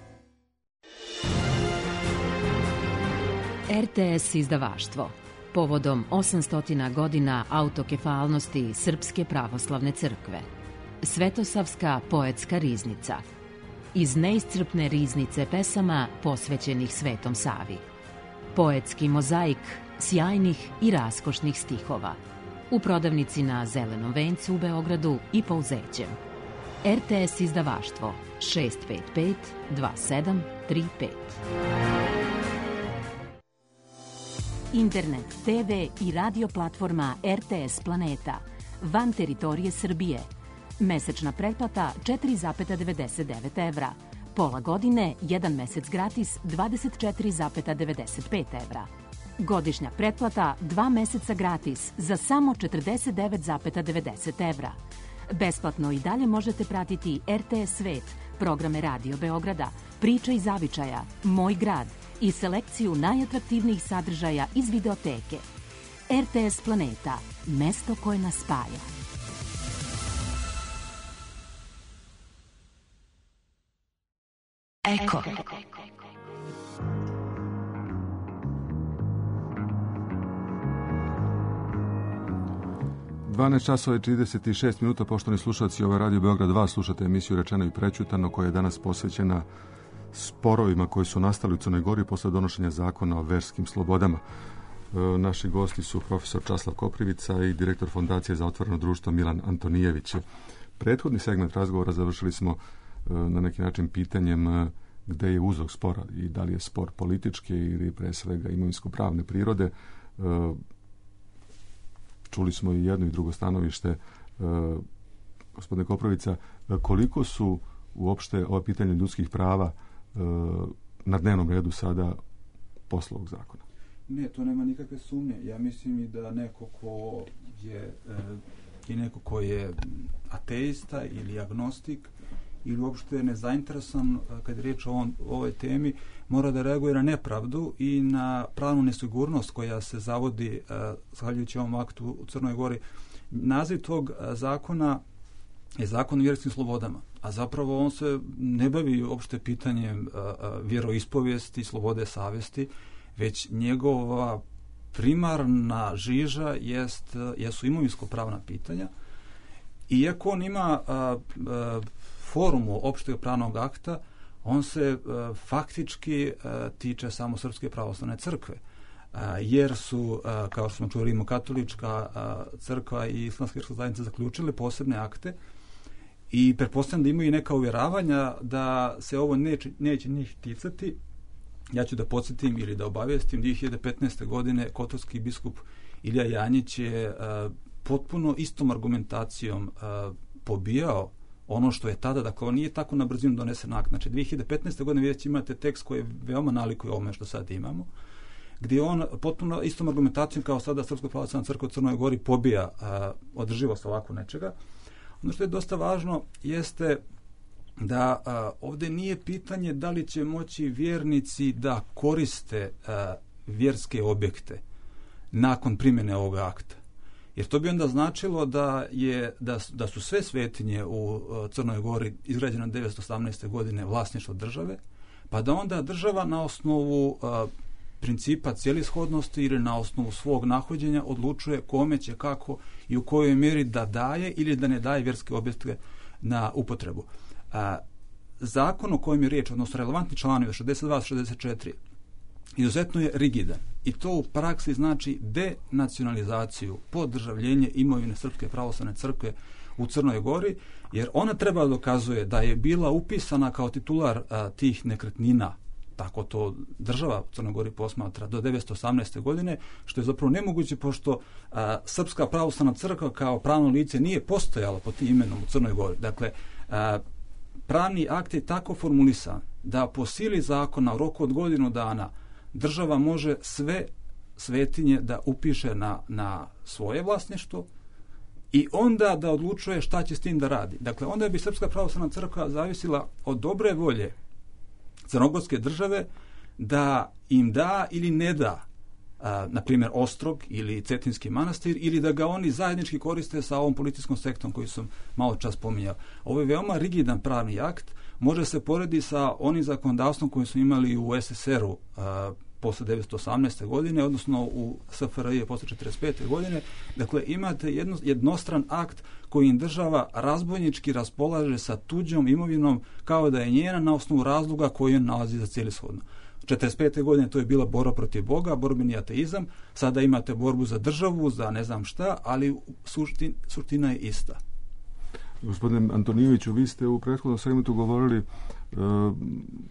er te es izdavaštvo. Povodom osamsto godina autokefalnosti Srpske pravoslavne crkve. Svetosavska poetska riznica. Iz neiscrpne riznice pesama posvećenih Svetom Savi. Poetski mozaik sjajnih i raskošnih stihova. U prodavnici na Zelenom vencu u Beogradu i Pouzećem. er te es izdavaštvo šest pet pet dva sedam tri pet. Internet, te ve i radio platforma er te es Planeta. Van teritorije Srbije. Mesečna pretplata četiri zarez devedeset devet evra. Pola godine, jedan mesec gratis dvadeset četiri zarez devedeset pet evra. Godišnja pretplata dva meseca gratis za samo četrdeset devet zarez devedeset evra. Besplatno i dalje možete pratiti er te es Svet, programe Radio Beograda, Priča iz zavičaja, Moj grad i selekciju najatraktivnijih sadržaja iz videoteke. er te es Planeta, mesto koje nas spaja.
Eko.
dvanaest časova i trideset šest minuta, poštovani slušalci, ovo je Radio Beograd dva, slušate emisiju Rečeno i prećutano, koja je danas posvećena sporovima koji su nastali u Crnoj Gori posle donošenja zakona o verskim slobodama. E, naši gosti su profesor Časlav Koprivica i direktor Fondacije za otvoreno društvo Milan Antonijević. Prethodni segment razgovora završili smo e, na neki način pitanjem e, gde je uzrok spora i da li je spor političke ili pre svega imovinsko-pravne prirode. E, čuli smo i jedno i drugo stanovište, e, gospodine Koprovica, koliko su uopšte ova pitanja ljudskih prava e, na dnevnom redu sada posle ovog zakona?
Ne, to nema nikakve sumnje. Ja mislim i da neko ko je e, i neko ko je ateista ili agnostik ili uopšte nezainteresovan kad je riječ o, on, o ovoj temi, mora da reaguje na nepravdu i na pravnu nesigurnost koja se zavodi uh, zahvaljujući ovom aktu u Crnoj Gori. Naziv tog uh, zakona je zakon o vjerskim slobodama, a zapravo on se ne bavi uopšte pitanjem uh, uh, vjeroispovijesti, slobode savjesti, već njegova primarna žiža jest, uh, jesu imovinsko-pravna pitanja. Iako on ima uh, uh, formu opšteg pravnog akta, on se uh, faktički uh, tiče samo Srpske pravoslavne crkve, uh, jer su, uh, kao što smo čuli, Rimokatolička uh, crkva i Islamska vjerska zajednica zaključile posebne akte i pretpostavljam da imaju neka uvjeravanja da se ovo neće, neće njih ticati. Ja ću da podsjetim ili da obavijestim, dvije hiljade petnaeste. godine kotorski biskup Ilija Janjić je uh, potpuno istom argumentacijom uh, pobijao ono što je tada, dakle, on nije tako na brzinu donesen akt. Znači, dvije hiljade petnaeste. godine već imate tekst koji veoma nalikuje ovome što sad imamo, gdje on potpuno istom argumentacijom kao sada Srpska pravoslavna crkva u Crnoj Gori pobija a, održivost ovako nečega. Ono što je dosta važno jeste da a, ovdje nije pitanje da li će moći vjernici da koriste a, vjerske objekte nakon primjene ovog akta. Jer to bi onda značilo da je da, da su sve svetinje u Crnoj Gori izgrađene devetsto osamnaeste. godine vlasništvo države, pa da onda država na osnovu a, principa cjelishodnosti ili na osnovu svog nahođenja odlučuje kome će, kako i u kojoj mjeri da daje ili da ne daje vjerske objekte na upotrebu. A, zakon o kojem je riječ, odnosno relevantni članovi šezdeset dva šezdeset četiri, izuzetno je rigidan i to u praksi znači denacionalizaciju, podržavljenje imovine Srpske pravoslavne crkve u Crnoj Gori, jer ona treba dokazuje da je bila upisana kao titular a, tih nekretnina, tako to država u Crnoj Gori posmatra, do devetsto osamnaeste. godine, što je zapravo nemoguće, pošto a, Srpska pravoslavna crkva kao pravno lice nije postojala pod tim imenom u Crnoj Gori. Dakle, a, pravni akt je tako formulisan da po sili zakona u roku od godinu dana država može sve svetinje da upiše na, na svoje vlasništvo i onda da odlučuje šta će s tim da radi. Dakle, onda bi Srpska pravoslavna crkva zavisila od dobre volje crnogorske države da im da ili ne da, a, na primjer, Ostrog ili Cetinski manastir, ili da ga oni zajednički koriste sa ovom policijskom sektom koju sam malo čas pominjao. Ovo je veoma rigidan pravni akt, može se poredi sa onim zakonodavstvom koji su imali u es es er u a, posle devetsto osamnaeste. godine, odnosno u es ef er i posle četrdeset pete. godine. Dakle, imate jedno, jednostran akt kojim država razbojnički raspolaže sa tuđom imovinom kao da je njena na osnovu razloga koji on nalazi za cijelishodno. četrdeset pete. godine to je bila borba protiv Boga, borbeni ateizam, sada imate borbu za državu, za ne znam šta, ali suštin, suština je ista.
Gospodine Antonijeviću, vi ste u prethodnom segmentu govorili uh,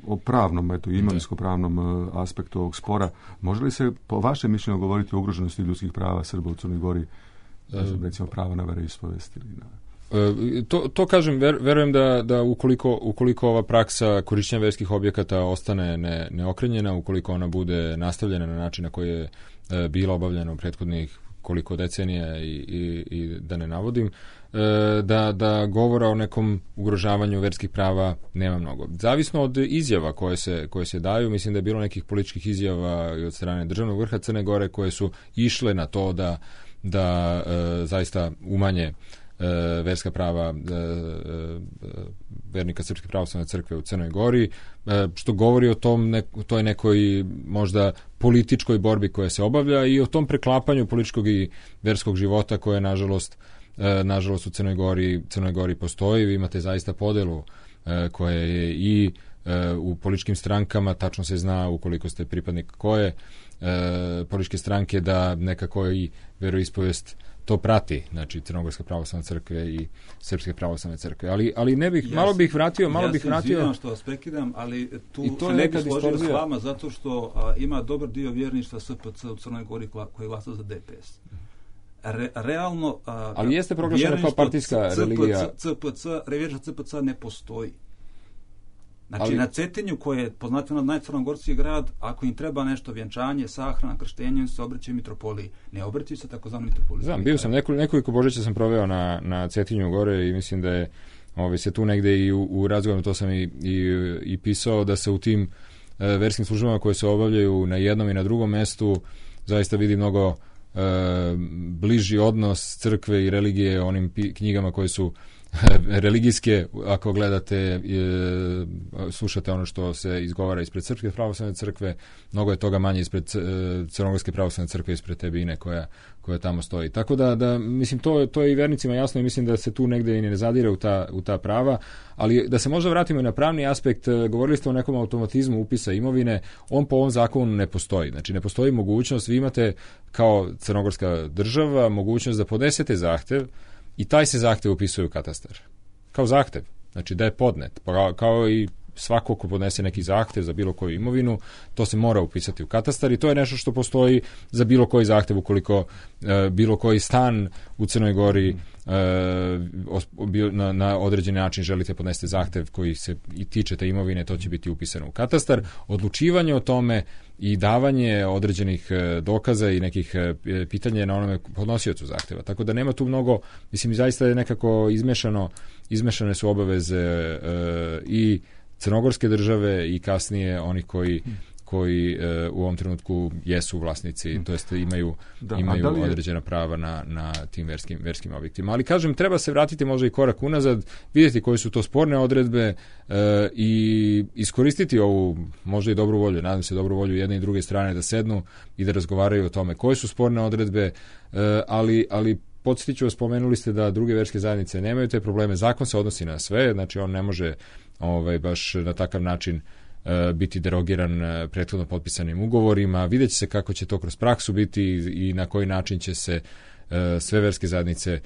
o pravnom, eto, imovinsko-pravnom uh, aspektu ovog spora. Može li se, po vašem mišljenju, govoriti o ugroženosti ljudskih prava Srba u Crnoj Gori, uh, recimo prava na veroispovest ili na...
Uh, to, to kažem, ver, verujem da, da ukoliko, ukoliko ova praksa korišćenja verskih objekata ostane ne, neokrenjena, ukoliko ona bude nastavljena na način na koji je uh, bila obavljena u prethodnih koliko decenija i, i, i da ne navodim, da, da govora o nekom ugrožavanju verskih prava nema mnogo. Zavisno od izjava koje se, koje se daju, mislim da je bilo nekih političkih izjava i od strane državnog vrha Crne Gore koje su išle na to da, da e, zaista umanje e, verska prava e, e, vernika Srpske pravoslavne crkve u Crnoj Gori, e, što govori o tom ne, toj nekoj možda političkoj borbi koja se obavlja i o tom preklapanju političkog i verskog života koje nažalost E, nažalost u Crnoj Gori, Crnoj Gori postoji. Vi imate zaista podelu e, koja je i e, u političkim strankama, tačno se zna ukoliko ste pripadnik koje e, političke stranke da nekako i veroispovest to prati, znači Crnogorska pravoslavna crkva i Srpske pravoslavne crkve. Ali, ali ne bih, ja malo bih vratio, malo
ja
bih vratio...
Ja se izvinjam što vas prekidam, ali tu
I to
se
je
ne bih
nekad
složio s
istorzija.
vama zato što a, ima dobar dio vjerništva es pe ce u Crnoj Gori koji glasa za de pe es. Re, realno... A,
ali jeste proglašena kao partijska religija.
C P C, revjerništvo C P C ne postoji. Znači,
ali,
na Cetinju, koje je poznato najcrnogorski grad, ako im treba nešto vjenčanje, sahrana, krštenje, se obraćaju mitropoliji. Ne obraćaju se takozvani mitropoliji.
Znam, bio sam nekoliko, nekoliko Božića sam proveo na, na Cetinju gore i mislim da je ovaj, se tu negde i u, u razgovoru, to sam i, i, i pisao, da se u tim e, verskim službama koje se obavljaju na jednom i na drugom mestu zaista vidi mnogo e, bliži odnos crkve i religije onim pi, knjigama koje su religijske, ako gledate, e, slušate ono što se izgovara ispred Srpske pravoslavne crkve, mnogo je toga manje ispred e, Crnogorske pravoslavne crkve, ispred te bine koja, koja tamo stoji. Tako da, da mislim, to, to je i vernicima jasno i mislim da se tu negde i ne zadire u ta, u ta prava, ali da se možda vratimo i na pravni aspekt, govorili ste o nekom automatizmu upisa imovine, on po ovom zakonu ne postoji. Znači, ne postoji mogućnost, vi imate kao crnogorska država mogućnost da podnesete zahtev i taj se zahtev upisuje u katastar. Kao zahtev. Znači da je podnet. Pa kao i svako ko podnese neki zahtev za bilo koju imovinu, to se mora upisati u katastar i to je nešto što postoji za bilo koji zahtev ukoliko e, bilo koji stan u Crnoj Gori e, na, na određeni način želite podnesti zahtev koji se i tiče te imovine, to će biti upisano u katastar. Odlučivanje o tome i davanje određenih dokaza i nekih pitanja na onome podnosiocu zahteva. Tako da nema tu mnogo, mislim, zaista je nekako izmešano, izmešane su obaveze e, i crnogorske države i kasnije onih koji koji e, u ovom trenutku jesu vlasnici, to jest imaju, da, imaju je... određena prava na, na tim verskim, verskim objektima. Ali kažem, treba se vratiti možda i korak unazad, vidjeti koje su to sporne odredbe e, i iskoristiti ovu možda i dobru volju, nadam se dobru volju jedne i druge strane da sednu i da razgovaraju o tome koje su sporne odredbe, e, ali, ali podsjetit ću vas, spomenuli ste da druge verske zajednice nemaju te probleme, zakon se odnosi na sve, znači on ne može ovaj, baš na takav način biti derogiran prethodno potpisanim ugovorima. Vidjet će se kako će to kroz praksu biti i na koji način će se sve verske zajednice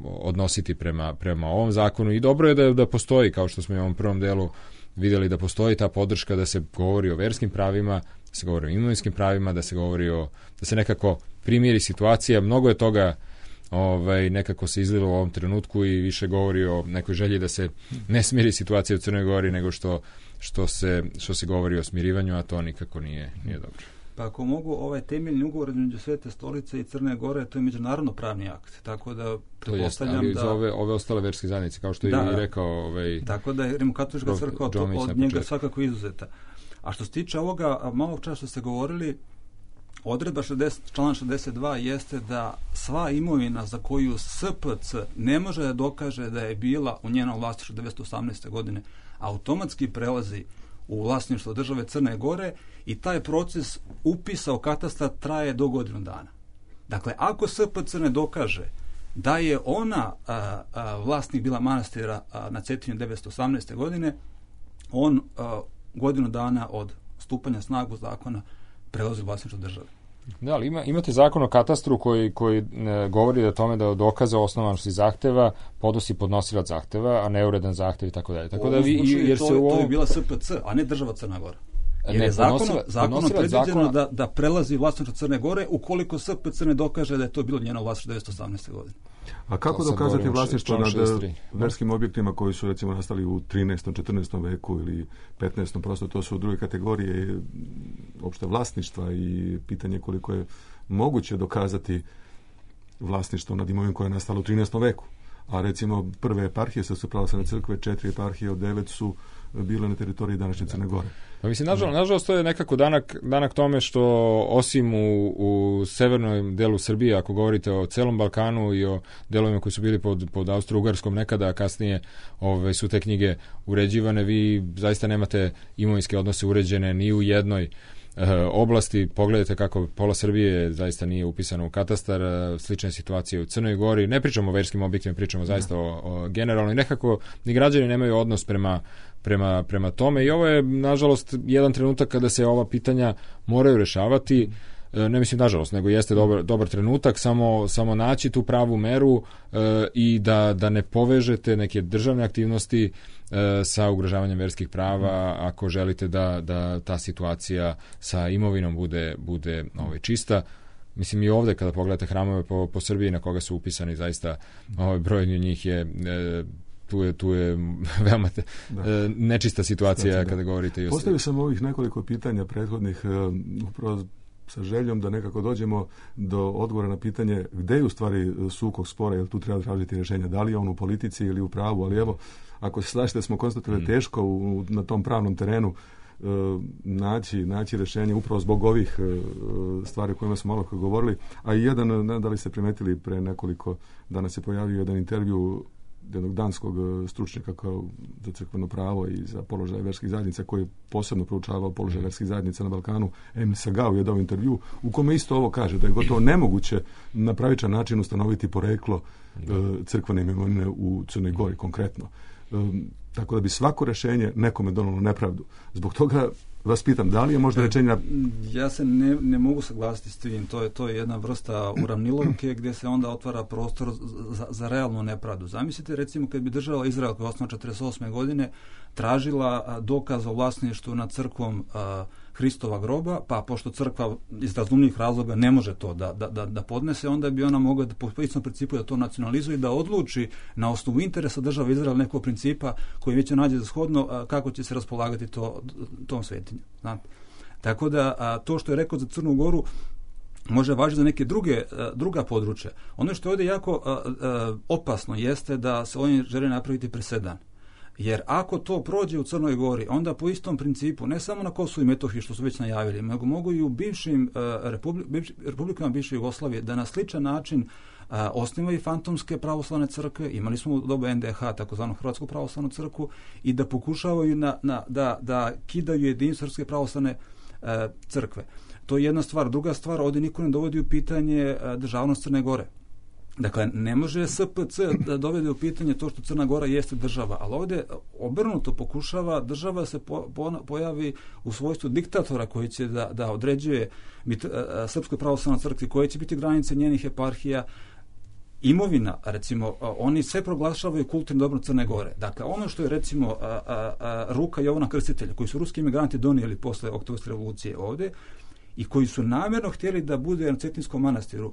odnositi prema, prema ovom zakonu i dobro je da, da postoji, kao što smo i u ovom prvom delu vidjeli, da postoji ta podrška da se govori o verskim pravima, da se govori o imovinskim pravima, da se govori o, da se nekako primiri situacija. Mnogo je toga ovaj, nekako se izlilo u ovom trenutku i više govori o nekoj želji da se ne smiri situacija u Crnoj Gori nego što, što, se, što se govori o smirivanju, a to nikako nije, nije dobro.
Pa ako mogu, ovaj temeljni ugovor između Svete stolice i Crne Gore, to je međunarodno pravni akt, tako da pretpostavljam da...
za ove, ove ostale verske zajednice, kao što je da, i rekao... Ovaj,
tako da je Rimokatolička crkva od, od njega svakako izuzeta. A što se tiče ovoga, malo čas što ste govorili, odredba šezdeset, član šezdeset dva jeste da sva imovina za koju S P C ne može da dokaže da je bila u njenom vlasništvu devetsto osamnaeste. godine, automatski prelazi u vlasništvo države Crne Gore i taj proces upisa u katastar traje do godinu dana. Dakle, ako S P C ne dokaže da je ona a, a, vlasnik bila manastira a, na Cetinju devetsto osamnaeste. godine, on a, godinu dana od stupanja snagu zakona prelazi vlasništvo države.
Da, ali ima, imate zakon o katastru koji, koji ne, govori da tome da dokaza osnovanosti zahteva podnosi podnosilac zahteva, a neuredan zahtev i tako dalje. Tako da vi, jer
to,
se u ovom...
to je bila S P C, a ne država Crna Gora. Jer
ne,
je zakonom,
podnosila,
zakonom predviđeno
zakona...
da, da prelazi vlasništvo Crne Gore ukoliko S P C ne dokaže da je to bilo njeno vlasništvo devetsto osamnaeste. godine.
A kako to dokazati vlasništvo nad verskim objektima koji su recimo nastali u trinaestom. četrnaestom. veku ili petnaestom. Prosto to su druge kategorije opšte vlasništva i pitanje koliko je moguće dokazati vlasništvo nad imovinom koja je nastala u trinaestom. veku. A recimo prve eparhije Srpske pravoslavne crkve, četiri eparhije od devet su bile na teritoriji današnje Crne Gore.
Pa mislim, nažalost, nažalost to je nekako danak, danak tome što osim u, u severnom delu Srbije, ako govorite o celom Balkanu i o delovima koji su bili pod, pod Austro-Ugarskom nekada, a kasnije ove, su te knjige uređivane, vi zaista nemate imovinske odnose uređene ni u jednoj oblasti. Pogledajte kako pola Srbije zaista nije upisano u katastar, slične situacije u Crnoj Gori. Ne pričamo o verskim objektima, pričamo zaista o, o generalno i nekako ni građani nemaju odnos prema, prema, prema tome i ovo je nažalost jedan trenutak kada se ova pitanja moraju rešavati. Ne mislim nažalost, nego jeste dobar, dobar trenutak, samo, samo naći tu pravu meru e, i da, da ne povežete neke državne aktivnosti e, sa ugrožavanjem verskih prava ako želite da, da ta situacija sa imovinom bude, bude ovaj, čista. mislim i ovdje kada pogledate hramove po, po Srbiji na koga su upisani, zaista ovaj broj njih je e, tu je, tu je veoma te, e, nečista situacija
Znači,
kada govorite i o
Postavio sam ovih nekoliko pitanja prethodnih e, upravo sa željom da nekako dođemo do odgovora na pitanje gde je u stvari sukob spora, jer tu treba tražiti rješenja, da li je on u politici ili u pravu, ali evo, ako se slažete, smo konstatovali mm. teško u, na tom pravnom terenu e, naći, naći rješenje upravo zbog ovih e, stvari o kojima smo malo govorili, a i jedan, ne da li ste primetili, pre nekoliko dana se pojavio jedan intervju jednog danskog stručnjaka kao za crkveno pravo i za položaj verskih zajednica koji je posebno proučavao položaj verskih zajednica na Balkanu. Emil Sagao je dao intervju u kome isto ovo kaže, da je gotovo nemoguće na pravičan način ustanoviti poreklo e, crkvene imovine u Crnoj Gori konkretno. E, tako da bi svako rješenje nekome donalo nepravdu. Zbog toga vas pitam, da li je možda rečenje...
Ja se ne, ne mogu saglasiti s tim. To je, to je jedna vrsta uravnilovke gdje se onda otvara prostor za, za realnu nepravdu. Zamislite, recimo, kad bi država Izrael koja je osnovana četrdeset osme godine tražila dokaz o vlasništvu nad crkvom a, Hristova groba, pa pošto crkva iz razumnih razloga ne može to da, da, da, da podnese, onda bi ona mogla da, po istom principu da to nacionalizuje i da odluči na osnovu interesa države Izrael nekog principa koji već nađe za shodno a, kako će se raspolagati to, tom svetinju. Znate? Tako da a, to što je rekao za Crnu Goru može važiti za neke druge, a, druga područja. Ono što je ovdje jako a, a, opasno jeste da se ovdje želi napraviti presedan. Jer ako to prođe u Crnoj Gori, onda po istom principu, ne samo na Kosovu i Metohiji, što su već najavili, nego mogu i u bivšim uh, republi, bivš, republikama bivše Jugoslavije da na sličan način uh, osnivaju fantomske pravoslavne crkve, imali smo u dobu en de ha, takozvanu Hrvatsku pravoslavnu crkvu, i da pokušavaju na, na, da, da kidaju jedinstvo Srpske pravoslavne uh, crkve. To je jedna stvar. Druga stvar, ovdje niko ne dovodi u pitanje uh, državnost Crne Gore. Dakle, ne može es pe ce da dovede u pitanje to što Crna Gora jeste država, ali ovdje obrnuto pokušava država se po, po, pojavi u svojstvu diktatora koji će da, da određuje mit, a, Srpskoj pravoslavnoj crkvi koje će biti granice njenih eparhija, imovina, recimo, a, oni sve proglašavaju kulturnim dobrom Crne Gore. Dakle, ono što je, recimo, a, a, a, ruka Jovana Krstitelja, koji su ruski imigranti donijeli posle Oktobarske revolucije ovdje i koji su namjerno htjeli da bude na Cetinskom manastiru,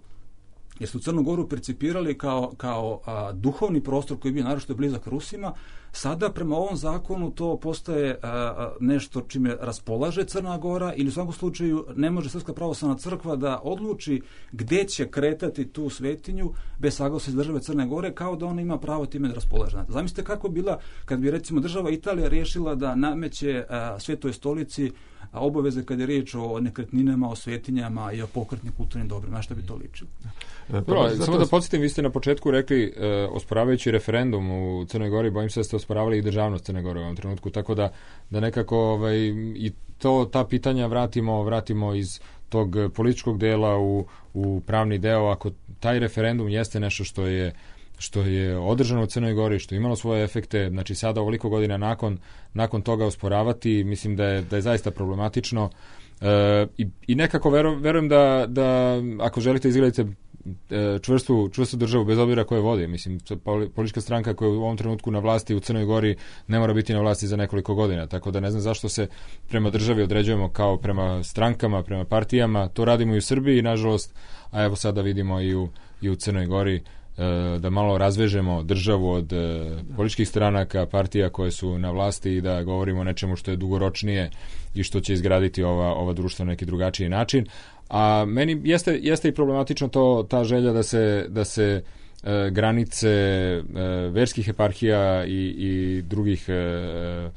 jer su Crnu Goru percipirali kao, kao a, duhovni prostor koji je bio naročito blizak Rusima, sada prema ovom zakonu to postaje a, a, nešto čime raspolaže Crna Gora, ili u svakom slučaju ne može Srpska pravoslavna crkva da odluči gdje će kretati tu svetinju bez saglasnosti države Crne Gore, kao da ona ima pravo time da raspolaže. Zamislite kako bila kad bi, recimo, država Italija riješila da nameće a, Svetoj stolici obaveze kad je riječ o nekretninama, o svetinjama i o pokretnim kulturnim dobrima. Na što bi to ličilo?
Dobro, samo da podsjetim, vi ste na početku rekli, e, osporavajući referendum u Crnoj Gori, bojim se da ste osporavali i državnost Crne Gore u ovom trenutku, tako da, da nekako ovaj, i to, ta pitanja vratimo, vratimo iz tog političkog dela u, u pravni deo. Ako taj referendum jeste nešto što je što je održano u Crnoj Gori, što je imalo svoje efekte, znači sada ovoliko godina nakon, nakon toga osporavati, mislim da je, da je zaista problematično. E, i, I nekako veru, verujem da, da ako želite izgledati čvrstu, čvrstu državu bez obzira koje vodi, mislim, politička stranka koja je u ovom trenutku na vlasti u Crnoj Gori ne mora biti na vlasti za nekoliko godina, tako da ne znam zašto se prema državi određujemo kao prema strankama, prema partijama. To radimo i u Srbiji, nažalost, a evo sada vidimo i u, i u Crnoj Gori, da malo razvežemo državu od političkih stranaka, partija koje su na vlasti i da govorimo o nečemu što je dugoročnije i što će izgraditi ova, ova društva na neki drugačiji način. A meni jeste, jeste i problematično to, ta želja da se, da se e, granice e, verskih eparhija i, i drugih e,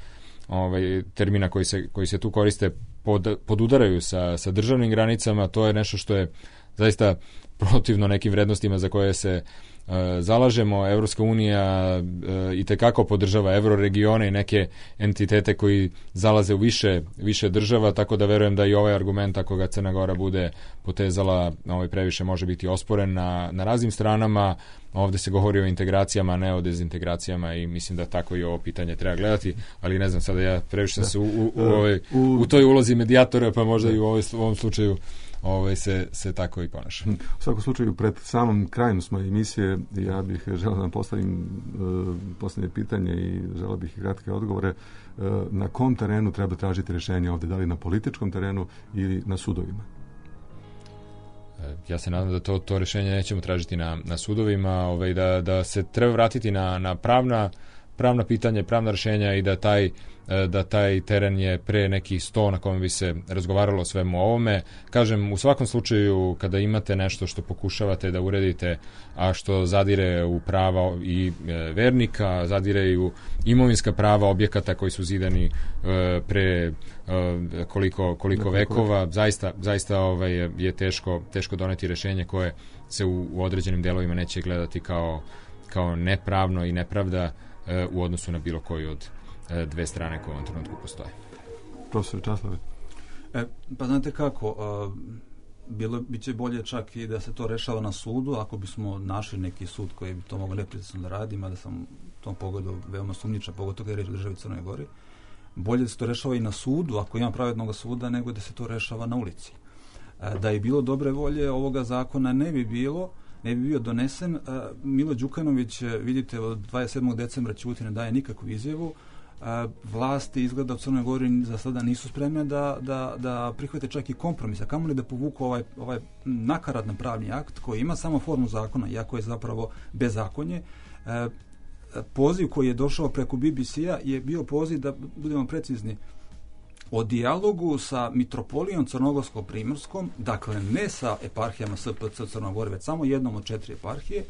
ovaj, termina koji se, koji se tu koriste pod, podudaraju sa, sa državnim granicama. To je nešto što je zaista protivno nekim vrednostima za koje se uh, zalažemo. Evropska unija uh, i tekako podržava euroregione i neke entitete koji zalaze u više, više država, tako da verujem da i ovaj argument, ako ga Crna Gora bude potezala, ovaj previše može biti osporen na, na raznim stranama. Ovdje se govori o integracijama, ne o dezintegracijama, i mislim da tako i ovo pitanje treba gledati, ali ne znam, sada ja previše sam se u, u, u, ovaj, u toj ulozi medijatora, pa možda i u, ovaj, u ovom slučaju Ovaj se, se tako i ponaša.
U svakom slučaju, pred samom krajem smo emisije, ja bih želeo da vam postavim uh, posljednje pitanje i želeo bih i kratke odgovore. Uh, na kom terenu treba tražiti rješenje ovdje? Da li na političkom terenu ili na sudovima?
Ja se nadam da to, to rješenje nećemo tražiti na, na sudovima, ovaj, da, da se treba vratiti na, na pravna, pravna pitanja, pravna rješenja i da taj, da taj teren je pre neki sto na kojem bi se razgovaralo o svemu ovome. Kažem, u svakom slučaju kada imate nešto što pokušavate da uredite, a što zadire u prava i vernika, zadire i u imovinska prava objekata koji su zidani pre koliko, koliko vekova, zaista, zaista ovaj, je, je teško, teško doneti rješenje koje se u, u određenim delovima neće gledati kao, kao nepravno i nepravda u odnosu na bilo koju od dve strane koje u ovom trenutku postoje.
Profesor Časlave.
E, pa znate kako, a, bilo bi će bolje čak i da se to rešava na sudu, ako bismo našli neki sud koji bi to mogao nepritisno da radi, mada sam u tom pogledu veoma sumnjičan, pogotovo kada je reč o državi Crnoj Gori. Bolje da se to rešava i na sudu, ako ima pravednog suda, nego da se to rešava na ulici. E, da je bilo dobre volje, ovoga zakona ne bi bilo, ne bi bio donesen. E, Milo Đukanović, vidite, od dvadeset sedmog decembra ćuti, ne daje nikakvu izjavu. A, vlasti izgleda u Crnoj Gori za sada nisu spremne da, da, da prihvate čak i kompromis, a kamoli da povuku ovaj, ovaj nakaradan pravni akt koji ima samo formu zakona, iako je zapravo bezakonje. E, poziv koji je došao preko B B C-a je bio poziv, da budemo precizni, o dijalogu sa mitropolijom Crnogorsko-Primorskom, dakle ne sa eparhijama S P C Crnoj Gori, već samo jednom od četiri eparhije,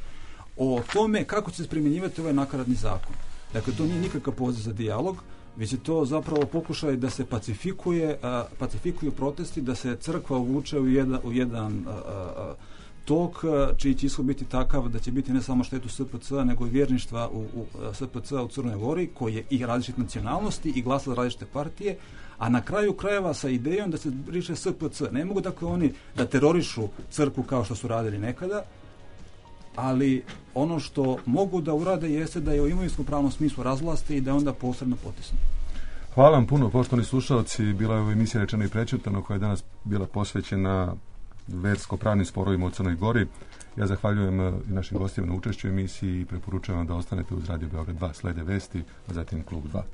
o tome kako će se primjenjivati ovaj nakaradni zakon. Dakle, to nije nikakav poziv za dijalog, već je to zapravo pokušaj da se pacifikuje, a, pacifikuju protesti, da se crkva uvuče u jedan, u jedan a, a, tok, a, čiji će ishod biti takav da će biti ne samo štetu S P C-a, nego i vjerništva u, u S P C-a u Crnoj Gori, koji je i različite nacionalnosti i glasa za različite partije, a na kraju krajeva sa idejom da se briše S P C. Ne mogu dakle oni da terorišu crkvu kao što su radili nekada, ali ono što mogu da urade jeste da je u imovinskom pravnom smislu razvlaste i da onda posredno potisnu.
Hvala vam puno, poštovani slušalci. Bila je ovo emisija Rečeno i prečutano koja je danas bila posvećena versko-pravnim sporovima u Crnoj Gori. Ja zahvaljujem i našim gostima na učešću u emisiji i preporučujem vam da ostanete uz Radio Beograd dva, slede vesti, a zatim Klub dva.